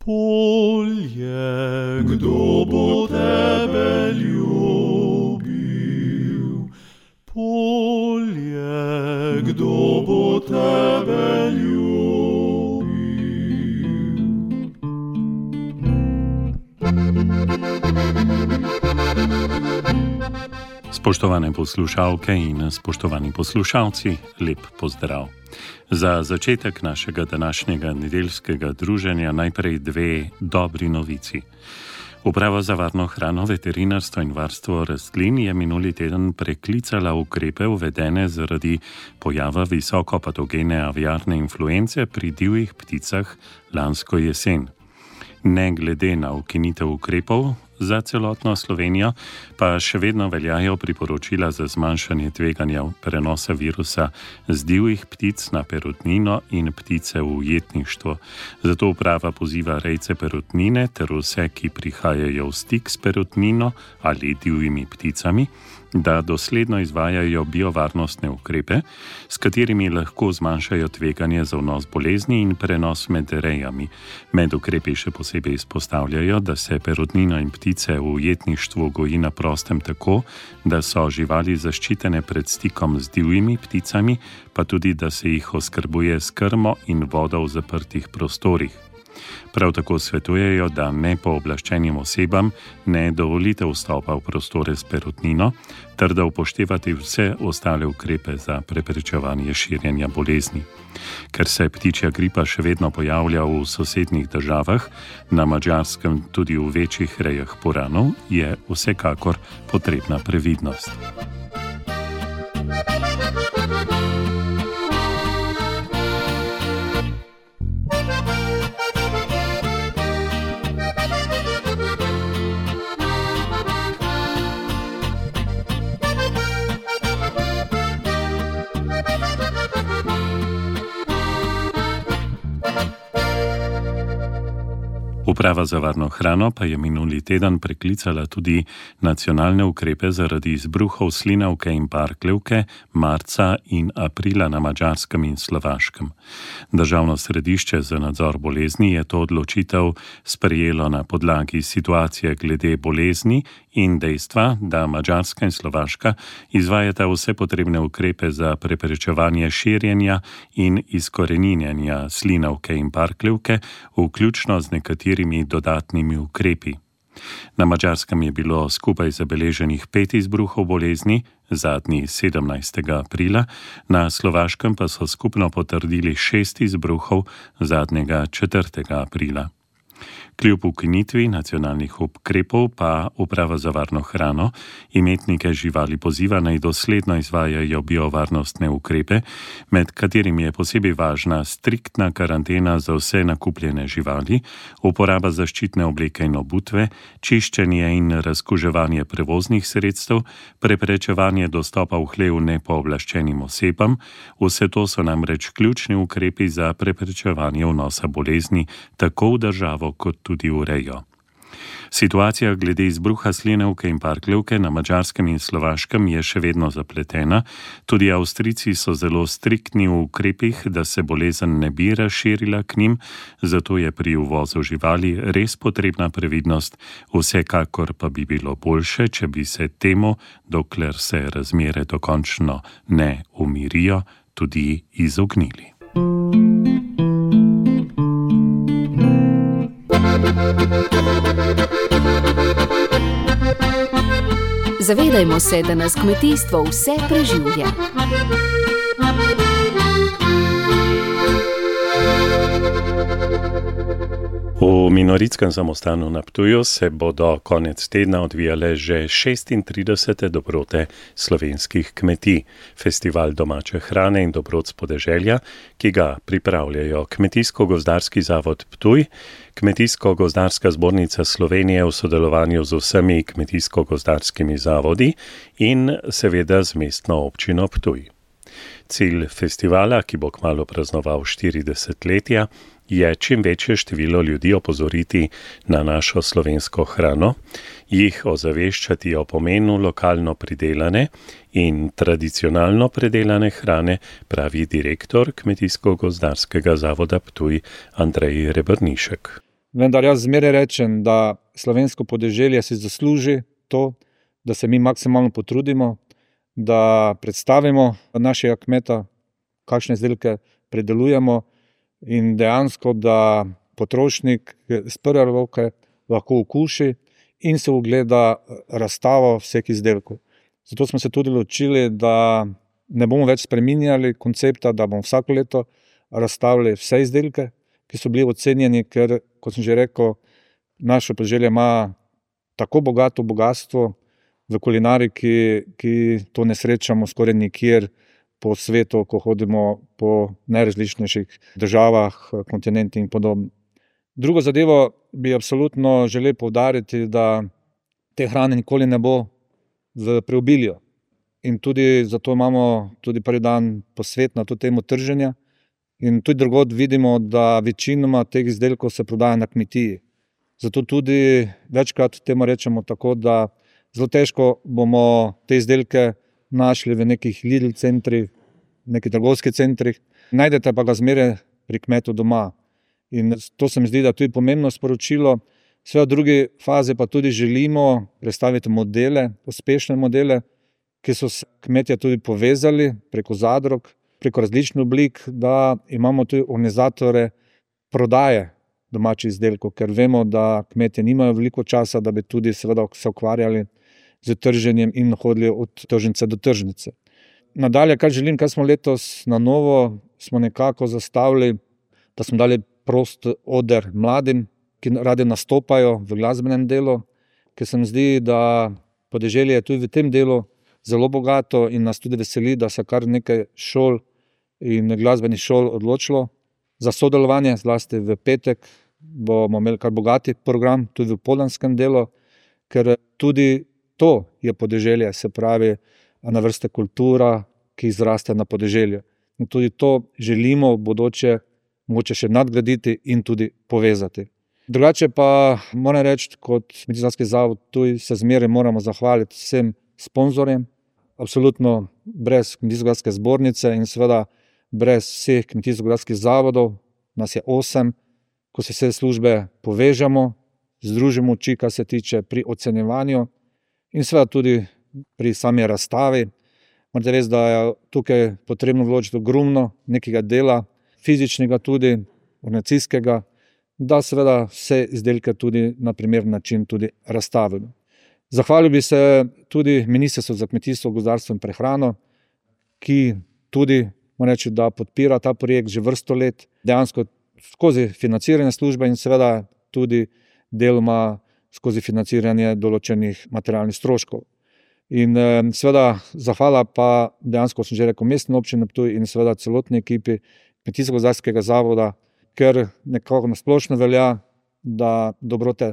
Polje, kdo bo tebe ljubil? Polje, kdo bo tebe ljubil? Spoštovane poslušalke in spoštovani poslušalci, lep pozdrav. Za začetek našega današnjega nedeljskega druženja najprej dve dobri novici. Uprava za varno hrano, veterinarstvo in varstvo rastlin je minuli teden preklicala ukrepe uvedene zaradi pojava visokopatogene aviarne influence pri divjih pticah lansko jesen. Ne glede na ukinitev ukrepov za celotno Slovenijo, pa še vedno veljajo priporočila za zmanjšanje tveganja prenosa virusa z divjih ptic na perutnino in ptice v ujetništvo. Zato uprava poziva rejce perutnine ter vse, ki prihajajo v stik s perutnino ali divjimi pticami, da dosledno izvajajo biovarnostne ukrepe, s katerimi lahko zmanjšajo tveganje za vnos bolezni in prenos med rejami. Med ukrepi še posebej izpostavljajo, da se perutnino in ptice v ujetništvu goji na prostem tako, da so živali zaščitene pred stikom z divjimi pticami, pa tudi, da se jih oskrbuje s krmo in vodo v zaprtih prostorih. Prav tako svetujejo, da nepooblaščenim osebam ne dovolite vstopa v prostore s perutnino, ter da upoštevate vse ostale ukrepe za preprečevanje širjenja bolezni. Ker se ptičja gripa še vedno pojavlja v sosednjih državah, na Madžarskem tudi v večjih rejah puranov, je vsekakor potrebna previdnost. Uprava za varno hrano pa je minuli teden preklicala tudi nacionalne ukrepe zaradi izbruhov slinavke in parkljevke marca in aprila na Madžarskem in Slovaškem. Državno središče za nadzor bolezni je to odločitev sprejelo na podlagi situacije glede bolezni in dejstva, da Madžarska in Slovaška izvajata vse potrebne ukrepe za preprečevanje širjenja in izkoreninjenja slinavke in parkljevke, vključno z nekaterimi dodatnimi ukrepi. Na Madžarskem je bilo skupaj zabeleženih 5 izbruhov bolezni, zadnji 17. aprila, na Slovaškem pa so skupno potrdili 6 izbruhov, zadnjega 4. aprila. Kljub ukinitvi nacionalnih ukrepov pa Uprava za varno hrano imetnike živali poziva naj dosledno izvajajo biovarnostne ukrepe, med katerimi je posebej važna striktna karantena za vse nakupljene živali, uporaba zaščitne obleke in obutve, čiščenje in razkuževanje prevoznih sredstev, preprečevanje dostopa v hlev nepooblaščenim osebam. Vse to so namreč ključni ukrepi za preprečevanje vnosa bolezni tako v državo kot tudi v rejo. Situacija glede izbruha slinavke in parkljevke na Madžarskem in Slovaškem je še vedno zapletena. Tudi Avstrijci so zelo striktni v ukrepih, da se bolezen ne bi razširila k njim, zato je pri uvozu živali res potrebna previdnost, vsekakor pa bi bilo boljše, če bi se temu, dokler se razmere dokončno ne umirijo, tudi izognili. Zavedajmo se, da nas kmetijstvo vse preživlja. V Minoritskem samostanu na Ptuju se bodo konec tedna odvijale že 36. dobrote slovenskih kmetij, festival domače hrane in dobrot s podeželja, ki ga pripravljajo Kmetijsko-gozdarski zavod Ptuj, Kmetijsko-gozdarska zbornica Slovenije v sodelovanju z vsemi kmetijsko-gozdarskimi zavodi in seveda z mestno občino Ptuj. Cilj festivala, ki bo kmalu praznoval 40-letja, je čim večje število ljudi opozoriti na našo slovensko hrano, jih ozaveščati o pomenu lokalno pridelane in tradicionalno predelane hrane, pravi direktor Kmetijsko-gozdarskega zavoda Ptuj Andrej Rebrnišek. vendar jaz zmeraj rečem, da slovensko podeželje si zasluži to, da se mi maksimalno potrudimo, da predstavimo našega kmeta, kakšne izdelke predelujemo in dejansko, da potrošnik z prve roke lahko okuši in se ogleda razstavo vseh izdelkov. Zato smo se tudi odločili, da ne bomo več spreminjali koncepta, da bomo vsako leto razstavili vse izdelke, ki so bili ocenjeni, ker, kot sem že rekel, naše podeželje ima tako bogato bogatstvo v kulinariki, ki to ne srečamo skoraj nikjer po svetu, ko hodimo po najrazličnejših državah, kontinentih in podobno. Drugo zadevo bi absolutno želel poudariti, da te hrane nikoli ne bo v preobilju. In tudi zato imamo tudi prvi dan posvet na to temo trženja. In tudi drugod vidimo, da večinoma teh izdelkov se prodaja na kmetiji. Zato tudi večkrat temu rečemo tako, da zelo težko bomo te izdelke našli v nekih Lidl centrih, nekih trgovskih centrih. Najdete pa ga zmeraj pri kmetu doma. In to se mi zdi, da je tudi pomembno sporočilo. Seveda v drugi fazi pa tudi želimo predstaviti modele, uspešne modele, ki so se kmetje tudi povezali preko zadrug, preko različnih oblik, da imamo tudi organizatore prodaje domačih izdelkov, ker vemo, da kmetje nimajo veliko časa, da bi tudi seveda se ukvarjali z trženjem in hodili od tržnice do tržnice. Nadalje, kaj želim, kaj smo letos na novo, smo nekako zastavili, da smo dali prost oder mladim, ki radi nastopajo v glasbenem delu, ker se mi zdi, da podeželje je tudi v tem delu zelo bogato in nas tudi veseli, da se kar nekaj šol in glasbenih šol odločilo za sodelovanje, zlasti v petek bomo imeli kar bogati program, tudi v popoldanskem delu, ker tudi to je podeželje, se pravi na vrste kultura, ki izraste na podeželju. In tudi to želimo v bodoče mogoče še nadgraditi in tudi povezati. Drugače pa moram reči, kot Kmetijsko-gozdarski zavod Ptuj se zmeraj moramo zahvaliti vsem sponzorjem. Absolutno brez Kmetijsko-gozdarske zbornice in seveda brez vseh kmetijsko-gozdarskih zavodov, nas je 8, ko se vse službe povežemo, združimo oči, kar se tiče pri ocenjevanju in seveda tudi pri sami razstavi. Morate res, da je tukaj potrebno vložiti ogromno nekega dela, fizičnega tudi, organizacijskega, da seveda vse izdelke tudi na primeren način tudi razstavimo. Zahvalil bi se tudi Ministrstvu za kmetijstvo, gozdarstvo in prehrano, ki tudi, moram reči, da podpira ta projekt že vrsto let, dejansko skozi financiranje službe in seveda tudi deloma skozi financiranje določenih materialnih stroškov. In seveda zahvala pa dejansko, sem že rekel, Mestni občini Ptuj in seveda celotni ekipi Kmetijsko-gozdarskega zavoda, ker nekako na splošno velja, da dobrote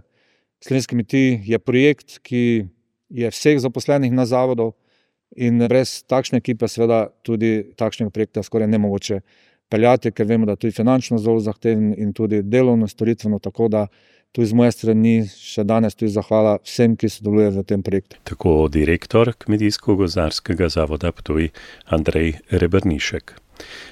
slovenskih kmetij je projekt, ki je vseh zaposlenih na zavodu in brez takšne ekipe seveda tudi takšnega projekta skoraj nemogoče peljati, ker vemo, da je tudi finančno zelo zahteven in tudi delovno, storitveno, tako da tudi z moje strani še danes tudi zahvala vsem, ki sodelujejo v tem projektu. Tako direktor Kmetijsko-gozdarskega zavoda Ptuj Andrej Rebernišek.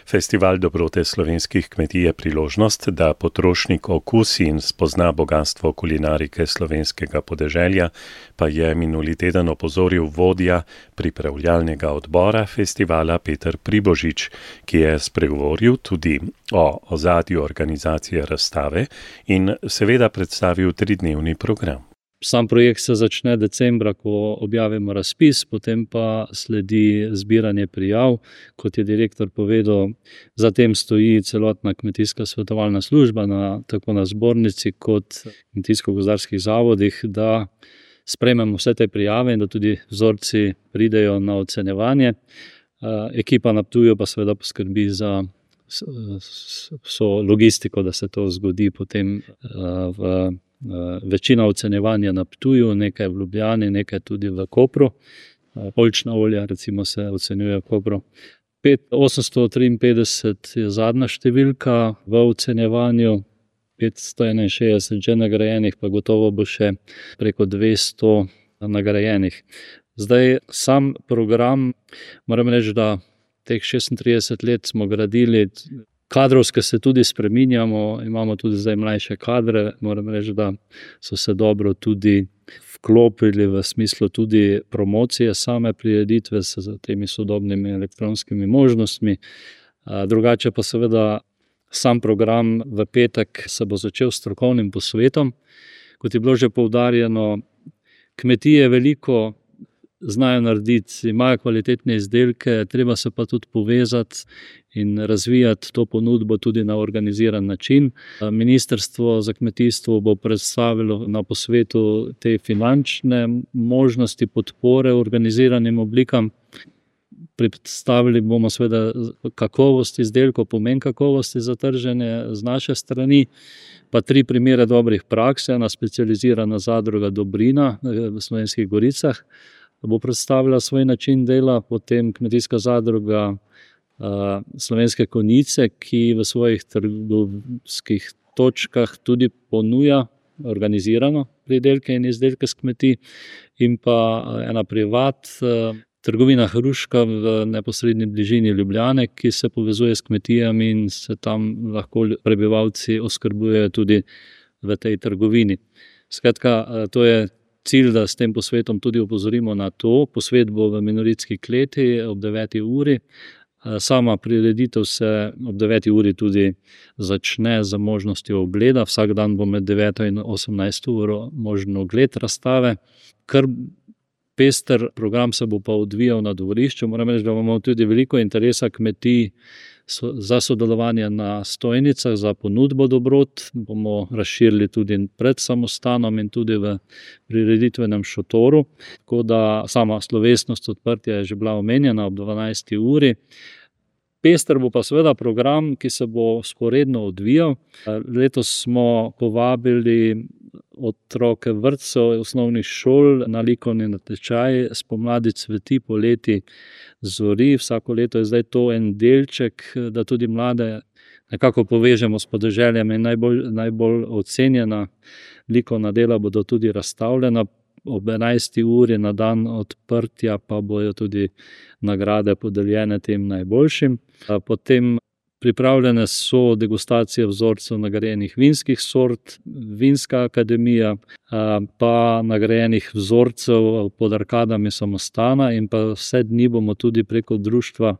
Festival dobrote slovenskih kmetij je priložnost, da potrošnik okusi in spozna bogatstvo kulinarike slovenskega podeželja, pa je minuli teden opozoril vodja pripravljalnega odbora festivala Peter Pribožič, ki je spregovoril tudi o ozadju organizacije razstave in seveda predstavil 3-dnevni program. Sam projekt se začne decembra, ko objavimo razpis, potem pa sledi zbiranje prijav. Kot je direktor povedal, za tem stoji celotna kmetijska svetovalna služba, tako na zbornici kot kmetijsko-gozdarskih zavodih, da sprejmemo vse te prijave in da tudi vzorci pridejo na ocenjevanje. Ekipa na Ptuju pa seveda poskrbi za vso logistiko, da se to zgodi potem večina ocenjevanja na Ptuju, nekaj v Ljubljani, nekaj tudi v Kopru. Oljčna olja recimo se ocenjuje v Kopru. 853 je zadnja številka v ocenjevanju, 561 že nagrajenih, pa gotovo bo še preko 200 nagrajenih. Zdaj, sam program, moram reči, da teh 36 let smo gradili Kadrovske se tudi spreminjamo, imamo tudi zdaj mlajše kadre, moram reči, da so se dobro tudi vklopili v smislu tudi promocije same prireditve s temi sodobnimi elektronskimi možnostmi. Drugače pa seveda sam program v petek se bo začel s strokovnim posvetom. Kot je bilo že poudarjeno, kmetije veliko znajo narediti, imajo kvalitetne izdelke, treba se pa tudi povezati in razvijati to ponudbo tudi na organiziran način. Ministrstvo za kmetijstvo bo predstavilo na posvetu te finančne možnosti podpore organiziranim oblikam. Predstavili bomo seveda kakovost izdelkov, pomen kakovosti za trženje z naše strani, pa 3 primere dobrih praks. Ena specializirana zadruga Dobrina v Slovenskih Goricah bo predstavila svoj način dela, potem kmetijska zadruga Slovenske Konjice, ki v svojih trgovskih točkah tudi ponuja organizirano pridelke in izdelke s kmetij, in pa ena privat trgovina Hruška v neposredni bližini Ljubljane, ki se povezuje s kmetijami in se tam lahko prebivalci oskrbujejo tudi v tej trgovini. Skratka, to je cilj, da s tem posvetom tudi opozorimo na to. Posvet bo v Minoritski kleti ob 9. uri. Sama prireditev se ob 9. uri tudi začne z možnostjo ogleda. Vsak dan bo med 9. in 18. uro možen ogled razstave. Kar pester program se bo pa odvijal na dvorišču. Moram reči, da imamo tudi veliko interesa kmetij za sodelovanje na stojnicah, za ponudbo dobrot. Bomo razširili tudi pred samostanom in tudi v prireditvenem šotoru. Tako da sama slovesnost odprtja je že bila omenjena ob 12. uri. Pester bo pa seveda program, ki se bo sporedno odvijal. Letos smo povabili otroke vrtcev, osnovnih šol na likovni natečaj Spomladi cveti, poleti zori. Vsako leto je zdaj to en delček, da tudi mlade nekako povežemo s podeželjem, in najbolj ocenjena likovna dela bodo tudi razstavljena. Ob 11. uri na dan odprtja pa bojo tudi nagrade podeljene tem najboljšim. Potem pripravljene so degustacije vzorcev nagrajenih vinskih sort, Vinska akademija, pa nagrajenih vzorcev pod arkadami samostana, in pa vse dni bomo tudi preko društva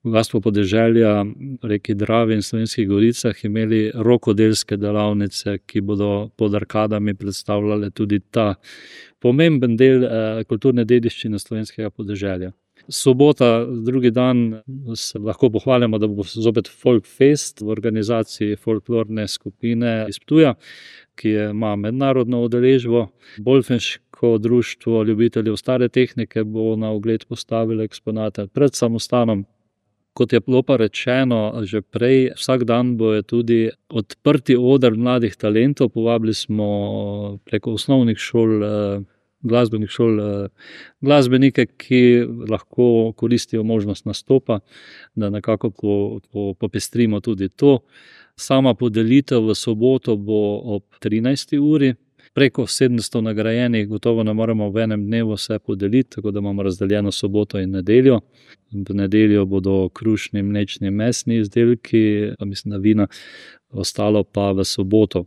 Bogastvo podeželja reki Dravi in Slovenskih Goricah imeli rokodelske delavnice, ki bodo pod arkadami predstavljale tudi ta pomemben del kulturne dediščine slovenskega podeželja. Sobota, drugi dan, se lahko pohvalimo, da bo zopet Folk Fest v organizaciji folklorne skupine iz Ptuja, ki ima mednarodno udeležbo. Bolfenško društvo ljubiteljev stare tehnike bo na ogled postavilo eksponate pred samostanom. Kot je bilo pa rečeno že prej, vsak dan bo je tudi odprti oder mladih talentov. Povabili smo preko osnovnih šol, glasbenih šol, glasbenike, ki lahko koristijo možnost nastopa, da nekako popestrimo tudi to. Sama podelitev v soboto bo ob 13. uri. Preko 700 nagrajenih gotovo ne moremo v enem dnevu vse podeliti, tako da imamo razdeljeno soboto in nedeljo. V nedeljo bodo krušni, mlečni, mesni izdelki, mislim, da vina, ostalo pa v soboto.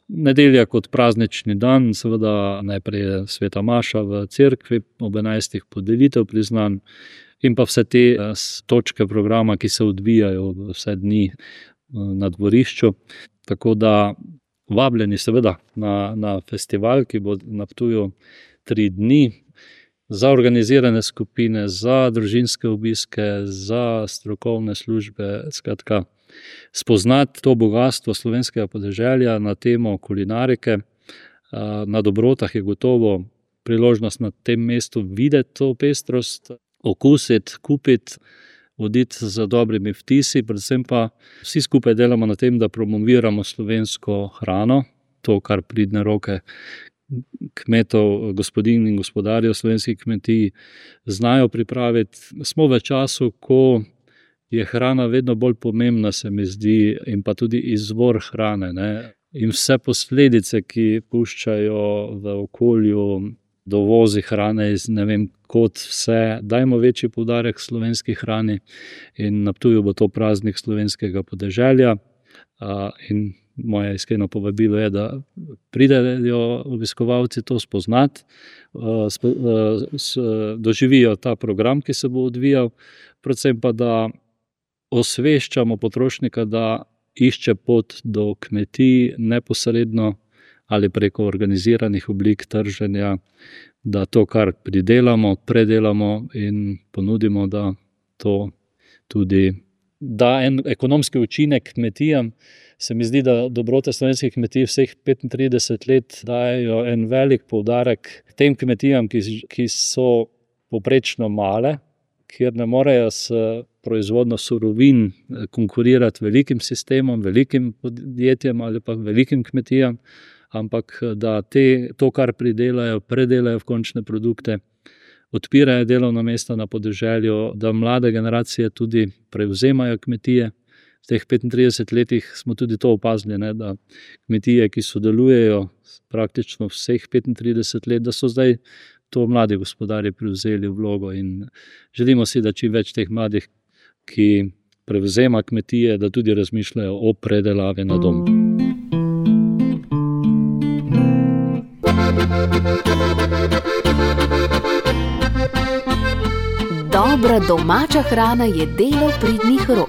Nedelja kot praznični dan, seveda najprej je sveta maša v cerkvi, ob 11. podelitev priznanj in pa vse te točke programa, ki se odvijajo vse dni na dvorišču. Tako da vabljeni seveda na festival, ki bo na Ptuju 3 dni, za organizirane skupine, za družinske obiske, za strokovne službe. Skratka, spoznati to bogastvo slovenskega podeželja na temo kulinarike. Na dobrotah je gotovo priložnost na tem mestu videti to pestrost, okusiti, kupiti, oditi z dobrimi vtisi, predvsem pa vsi skupaj delamo na tem, da promoviramo slovensko hrano, to, kar pridne roke kmetov, gospodinj in gospodarjev slovenskih kmetij znajo pripraviti. Smo v času, ko je hrana vedno bolj pomembna, se mi zdi, in pa tudi izvor hrane, ne? In vse posledice, ki puščajo v okolju dovozi hrane iz ne vem kot vse. Dajmo večji poudarek slovenski hrani in na Ptuju bo to praznik slovenskega podeželja. In moje iskreno povabilo je, da pridejo obiskovalci to spoznati, doživijo ta program, ki se bo odvijal, predvsem pa, da osveščamo potrošnika, da išče pot do kmetij neposredno ali preko organiziranih oblik trženja, da to, kar pridelamo, predelamo in ponudimo, da to tudi da en ekonomski učinek kmetijam. Se mi zdi, da dobrote slovenskih kmetij vseh 35 let dajo en velik poudarek tem kmetijam, ki so povprečno male, kjer ne morejo s proizvodnjo surovin konkurirati velikim sistemom, velikim podjetjem ali pa velikim kmetijam, ampak da to, kar pridelajo, predelajo v končne produkte, odpirajo delovna mesta na podeželju, da mlade generacije tudi prevzemajo kmetije. V teh 35 letih smo tudi to opazili, da kmetije, ki sodelujejo praktično vseh 35 let, da so zdaj to mladi gospodarji prevzeli vlogo in želimo si, da čim več teh mladih, ki prevzema kmetije, da tudi razmišljajo o predelavi na dom. Dobra domača hrana je delo pridnih rok.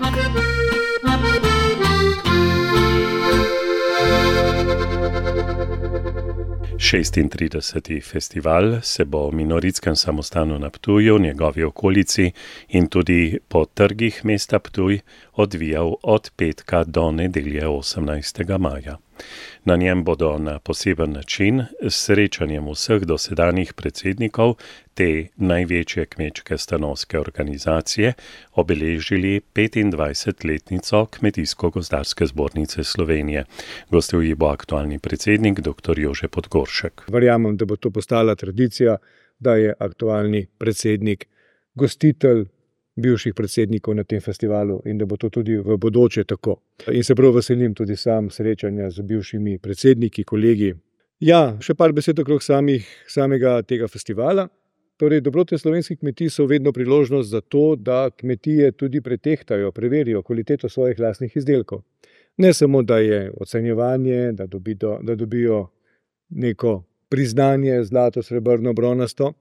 Šestintrideseti festival se bo v Minoritskem samostanu na Ptuju, njegovi okolici in tudi po trgih mesta Ptuj odvijal od petka do nedelje 18. maja. Na njem bodo na poseben način s srečanjem vseh dosedanjih predsednikov te največje kmečke stanovske organizacije obeležili 25-letnico Kmetijsko-gozdarske zbornice Slovenije. Gostil ji bo aktualni predsednik dr. Jože Podgoršek. Verjamem, da bo to postala tradicija, da je aktualni predsednik gostitelj bivših predsednikov na tem festivalu in da bo to tudi v bodoče tako. In se prav veselim tudi sam srečanja z bivšimi predsedniki, kolegi. Ja, še par besed okrog samega tega festivala. Torej, dobrote slovenskih kmetij so vedno priložnost za to, da kmetije tudi pretehtajo, preverijo kvaliteto svojih lastnih izdelkov. Ne samo, da je ocenjevanje, da dobijo neko priznanje zlato, srebrno, bronasto,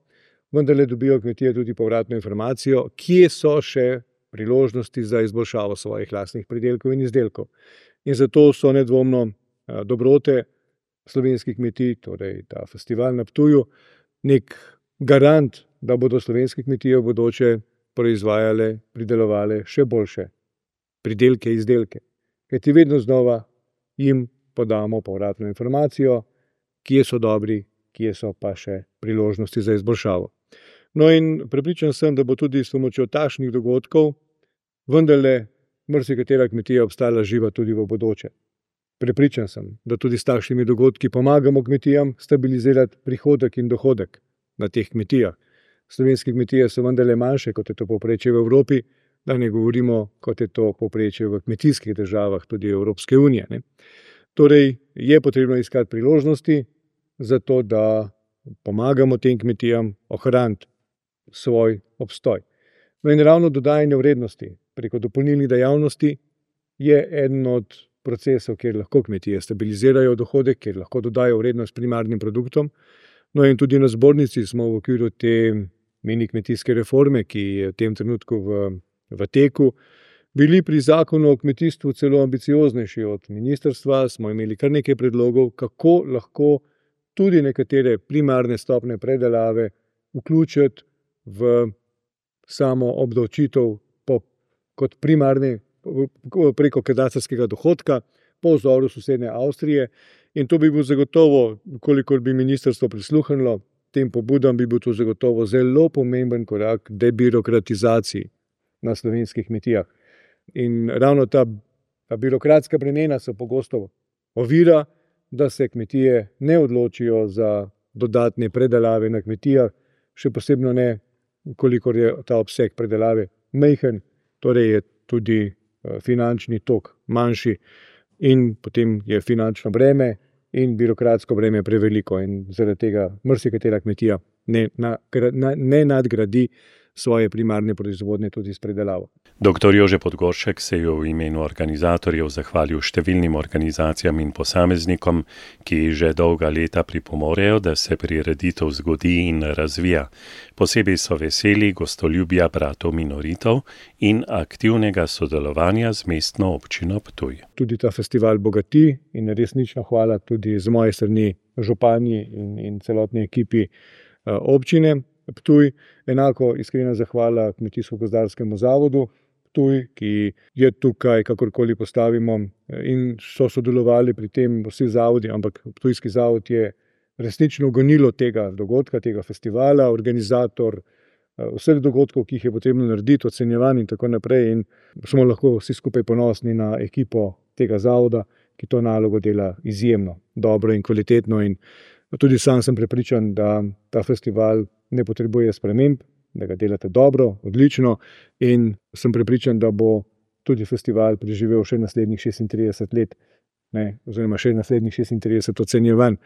vendar le dobijo kmetije tudi povratno informacijo, kje so še priložnosti za izboljšavo svojih lastnih pridelkov in izdelkov. In zato so nedvomno dobrote slovenskih kmetij, torej ta festival na Ptuju, nek garant, da bodo slovenske kmetije v bodoče proizvajale, pridelovale še boljše pridelke, izdelke. Kajti vedno znova jim podamo povratno informacijo, kje so dobri, kje so pa še priložnosti za izboljšavo. No in prepričan sem, da bo tudi s pomočjo takšnih dogodkov vendarle marsikatera kmetija obstala živa tudi v bodoče. Prepričan sem, da tudi s takšnimi dogodki pomagamo kmetijam stabilizirati prihodek in dohodek na teh kmetijah. Slovenske kmetije so vendarle manjše, kot je to povprečje v Evropi, da ne govorimo, kot je to povprečje v kmetijskih državah tudi Evropske unije. Torej je potrebno iskati priložnosti za to, da pomagamo tem kmetijam ohraniti svoj obstoj. No in ravno dodajanje vrednosti preko dopolnilnih dejavnosti je eden od procesov, kjer lahko kmetije stabilizirajo dohodek, kjer lahko dodajo vrednost primarnim produktom. No in tudi na zbornici smo v okviru te mini kmetijske reforme, ki je v tem trenutku v teku, bili pri zakonu o kmetijstvu celo ambicioznejši od ministrstva, smo imeli kar nekaj predlogov, kako lahko tudi nekatere primarne stopnje predelave vključiti v samo obdavčitev kot primarne preko katastrskega dohodka po vzoru sosednje Avstrije. In to bi bil zagotovo, kolikor bi ministrstvo prisluhnilo tem pobudam, bi bil to zagotovo zelo pomemben korak debirokratizaciji na slovenskih kmetijah. In ravno ta birokratska bremena so pogosto ovira, da se kmetije ne odločijo za dodatne predelave na kmetijah, še posebno ne, kolikor je ta obseg predelave majhen, torej je tudi finančni tok manjši in potem je finančno breme in birokratsko breme je preveliko in zaradi tega marsikatera kmetija ne nadgradi svoje primarne proizvodnje tudi s predelavo. Dr. Jože Podgoršek se je v imenu organizatorjev zahvalil številnim organizacijam in posameznikom, ki že dolga leta pripomorejo, da se prireditev zgodi in razvija. Posebej so veseli gostoljubja bratov minoritov in aktivnega sodelovanja z mestno občino Ptuj. Tudi ta festival bogati in resnično hvala tudi z moje strani županji in celotni ekipi občine Ptuj. Enako iskrena zahvala Kmetijsko-gozdarskemu zavodu Ptuj, ki je tukaj, kakorkoli postavimo, in so sodelovali pri tem vsi zavodi, ampak Ptujski zavod je resnično gonilo tega dogodka, tega festivala, organizator vseh dogodkov, ki jih je potrebno narediti, ocenjevanje in tako naprej. In smo lahko vsi skupaj ponosni na ekipo tega zavoda, ki to nalogo dela izjemno dobro in kvalitetno. In tudi sam sem prepričan, da ta festival ne potrebuje sprememb, da ga delate dobro, odlično, in sem prepričan, da bo tudi festival preživel še naslednjih 36 let, oziroma še naslednjih 36 ocenjevanj.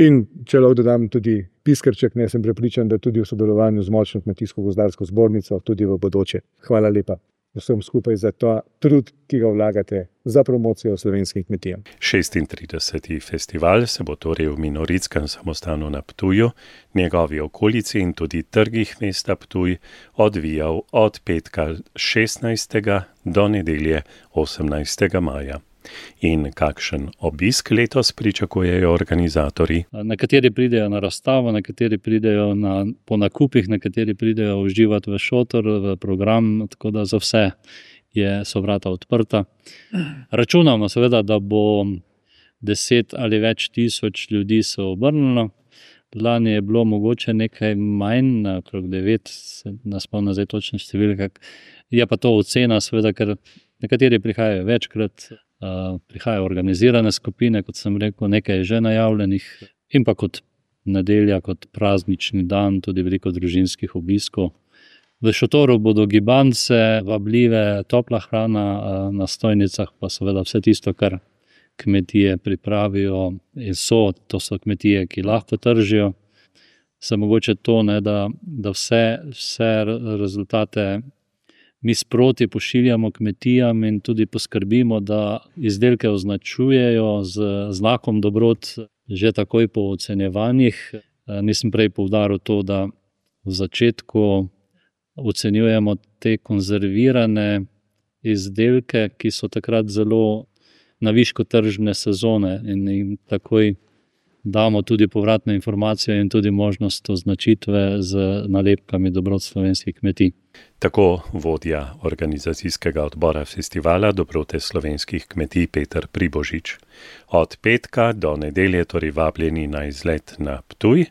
In če lahko dodam tudi piskrček, sem prepričan, da tudi v sodelovanju z močno Kmetijsko-gozdarsko zbornico tudi v bodoče. Hvala lepa vsem skupaj za ta trud, ki ga vlagate za promocijo slovenskih kmetij. 36. festival se bo torej v Minoritskem samostanu na Ptuju, njegovi okolici in tudi trgih mesta Ptuj odvijal od petka 16. do nedelje 18. maja. In kakšen obisk letos pričakujejo organizatorji? Nekateri pridejo na razstavo, nekateri pridejo po nakupih, nekateri pridejo uživati v šotor, v program, tako da za vse so vrata odprta. Računamo seveda, da bo 10 ali več tisoč ljudi se obrnilo. Lani je bilo mogoče nekaj manj, okrog 9, ne spomnim zdaj točne številke. Je pa to ocena, seveda, ker nekateri prihajajo večkrat, prihajajo organizirane skupine, kot sem rekel, nekaj je že najavljenih, in pa kot nedelja, kot praznični dan, tudi veliko družinskih obiskov. V šotoru bodo gibance, vabljive, topla hrana, na stojnicah pa seveda vse tisto, kar kmetije pripravijo in to so kmetije, ki lahko tržijo. Se mogoče to, da vse rezultate mi sproti pošiljamo kmetijam in tudi poskrbimo, da izdelke označujejo z znakom dobrot že takoj po ocenjevanjih. Nisem prej poudaril to, da v začetku ocenjujemo te konzervirane izdelke, ki so takrat zelo na višku tržne sezone, in jim takoj damo tudi povratne informacije in tudi možnost označitve z nalepkami dobrot slovenskih kmetij. Tako vodja organizacijskega odbora festivala Dobrote slovenskih kmetij Peter Pribožič. Od petka do nedelje torej vabljeni na izlet na Ptuj.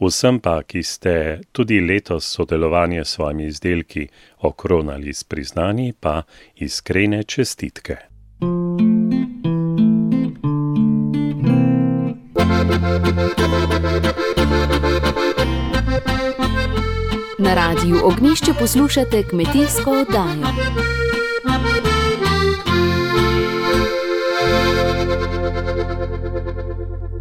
Vsem pa, ki ste tudi letos sodelovanje s svojimi izdelki okronali s priznanji, pa iskrene čestitke. Na Radiu Ognjišče poslušate kmetijsko oddajo.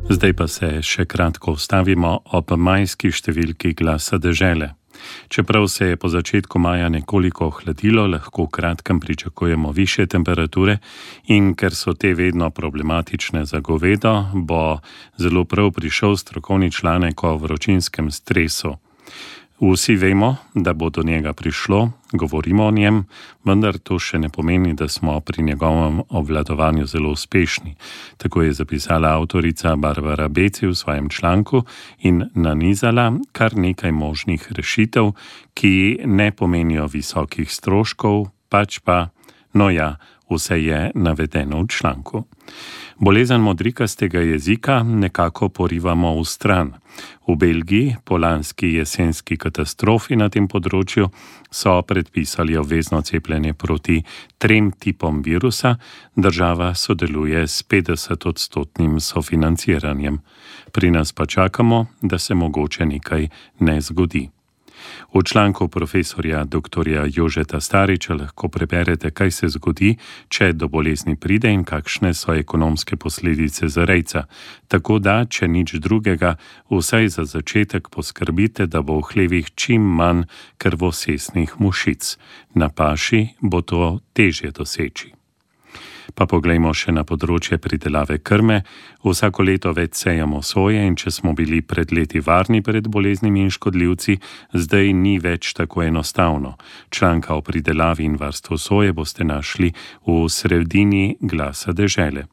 Zdaj pa se še kratko ustavimo ob majski številki Glasa dežele. Čeprav se je po začetku maja nekoliko ohladilo, lahko v kratkem pričakujemo višje temperature in ker so te vedno problematične za govedo, bo zelo prav prišel strokovni članek o vročinskem stresu. Vsi vemo, da bo do njega prišlo, govorimo o njem, vendar to še ne pomeni, da smo pri njegovem obvladovanju zelo uspešni. Tako je zapisala avtorica Barbara Beci v svojem članku in nanizala kar nekaj možnih rešitev, ki ne pomenijo visokih stroškov, pač pa, vse je navedeno v članku. Bolezen modrikastega jezika nekako porivamo v stran. V Belgiji po lanski jesenski katastrofi na tem področju so predpisali obvezno cepljenje proti 3 tipom virusa, država sodeluje s 50% sofinanciranjem. Pri nas pa čakamo, da se mogoče nekaj ne zgodi. V članku profesorja dr. Jožeta Stariča lahko preberete, kaj se zgodi, če do bolezni pride in kakšne so ekonomske posledice za rejca. Tako da, če nič drugega, vsaj za začetek poskrbite, da bo v hlevih čim manj krvosesnih mušic. Na paši bo to težje doseči. Pa poglejmo še na področje pridelave krme. Vsako leto več sejamo soje in če smo bili pred leti varni pred boleznimi in škodljivci, zdaj ni več tako enostavno. Članka o pridelavi in varstvu soje boste našli v sredini Glasa dežele.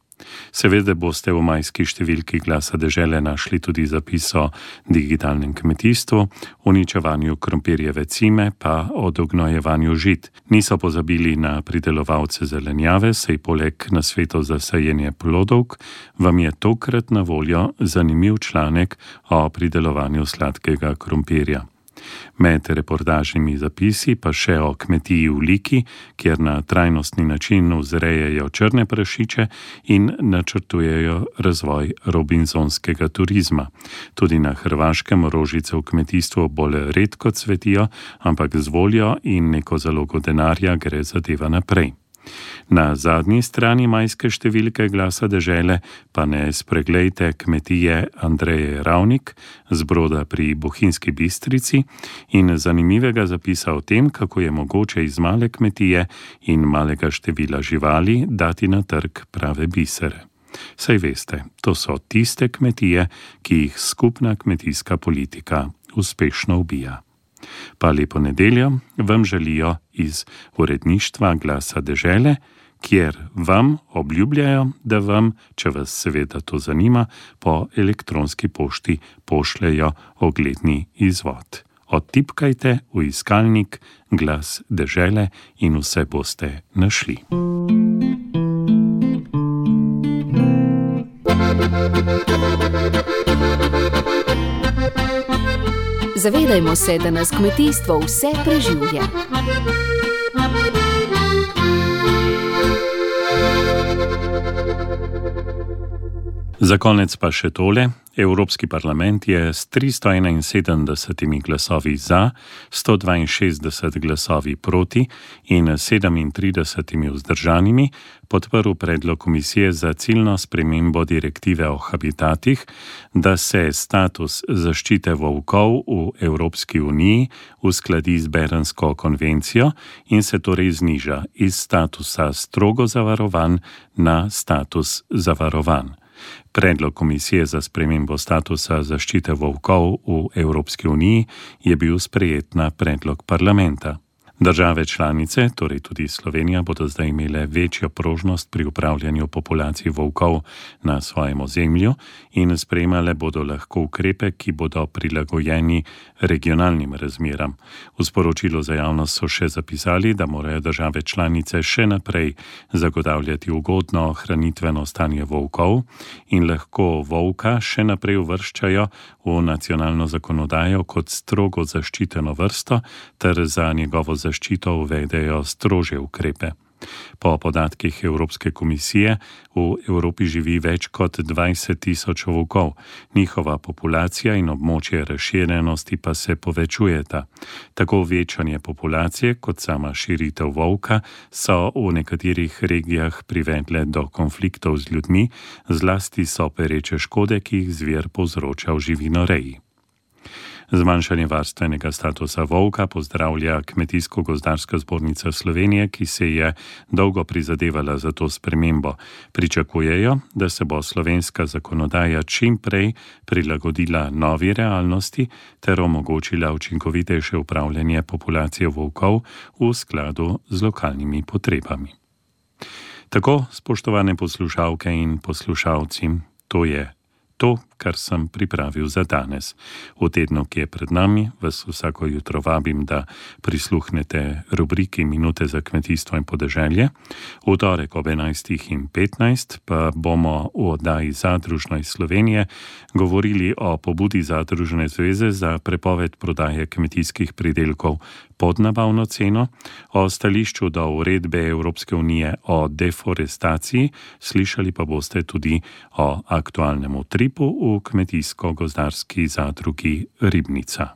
Seveda boste v majski številki Glasa dežele našli tudi zapis o digitalnem kmetijstvu, uničevanju krompirjeve cime pa o dognojevanju žit. Niso pozabili na pridelovalce zelenjave, saj poleg nasvetov za sajenje plodovk vam je tokrat na voljo zanimiv članek o pridelovanju sladkega krompirja. Med reportažnimi zapisi pa še o kmetiji v Liki, kjer na trajnostni način vzrejajo črne prašiče in načrtujejo razvoj robinsonskega turizma. Tudi na Hrvaškem rožice v kmetijstvu bolj redko cvetijo, ampak z voljo in neko zalogo denarja gre zadeva naprej. Na zadnji strani majske številke Glasa dežele pa ne spreglejte kmetije Andreje Ravnik z Broda pri Bohinjski Bistrici in zanimivega zapisa o tem, kako je mogoče iz male kmetije in malega števila živali dati na trg prave bisere. Saj veste, to so tiste kmetije, ki jih skupna kmetijska politika uspešno ubija. Pa lepo nedeljo vam želijo iz uredništva Glasa dežele, kjer vam obljubljajo, da vam, če vas seveda to zanima, po elektronski pošti pošljejo ogledni izvod. Odtipkajte v iskalnik Glas dežele in vse boste našli. Zavedajmo se, da nas kmetijstvo vse preživlja. Za konec pa še tole. Evropski parlament je s 371 glasovi za, 162 glasovi proti in 37 vzdržanimi podprl predlog komisije za ciljno spremembo direktive o habitatih, da se status zaščite volkov v Evropski uniji uskladi z Bernsko konvencijo in se torej zniža iz statusa strogo zavarovan na status zavarovan. Predlog komisije za spremembo statusa zaščite volkov v Evropski uniji je bil sprejet na predlog parlamenta. Države članice, torej tudi Slovenija, bodo zdaj imele večjo prožnost pri upravljanju populacij volkov na svojem ozemlju in sprejemale bodo lahko ukrepe, ki bodo prilagojeni regionalnim razmeram. V sporočilu za javnost so še zapisali, da morajo države članice še naprej zagotavljati ugodno hranitveno stanje volkov in lahko volka še naprej uvrščajo v nacionalno zakonodajo kot strogo zaščiteno vrsto ter za njegovo zaščito uvedejo strožje ukrepe. Po podatkih Evropske komisije v Evropi živi več kot 20 tisoč volkov, njihova populacija in območje razširjenosti pa se povečujeta. Tako večanje populacije kot sama širitev volka so v nekaterih regijah privedle do konfliktov z ljudmi, zlasti so pereče škode, ki jih zver povzroča v živinoreji. Zmanjšanje varstvenega statusa volka pozdravlja Kmetijsko-gozdarska zbornica Slovenije, ki se je dolgo prizadevala za to spremembo. Pričakujejo, da se bo slovenska zakonodaja čim prej prilagodila novi realnosti ter omogočila učinkovitejše upravljanje populacije volkov v skladu z lokalnimi potrebami. Tako, spoštovane poslušalke in poslušalci, to je to, kar sem pripravil za danes. V tednu, ki je pred nami, vas vsako jutro vabim, da prisluhnete rubriki Minute za kmetijstvo in podeželje. V torek ob 11:15 pa bomo v oddaji Zadružno iz Slovenije govorili o pobudi Zadružne zveze za prepoved prodaje kmetijskih pridelkov pod nabavno ceno, o stališču do uredbe Evropske unije o deforestaciji, slišali pa boste tudi o aktualnem utripu v Kmetijsko-gozdarski zadrugi Ribnica.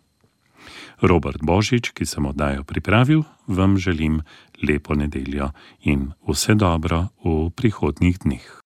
Robert Božič, ki sem oddajo pripravil, vam želim lepo nedeljo in vse dobro v prihodnjih dneh.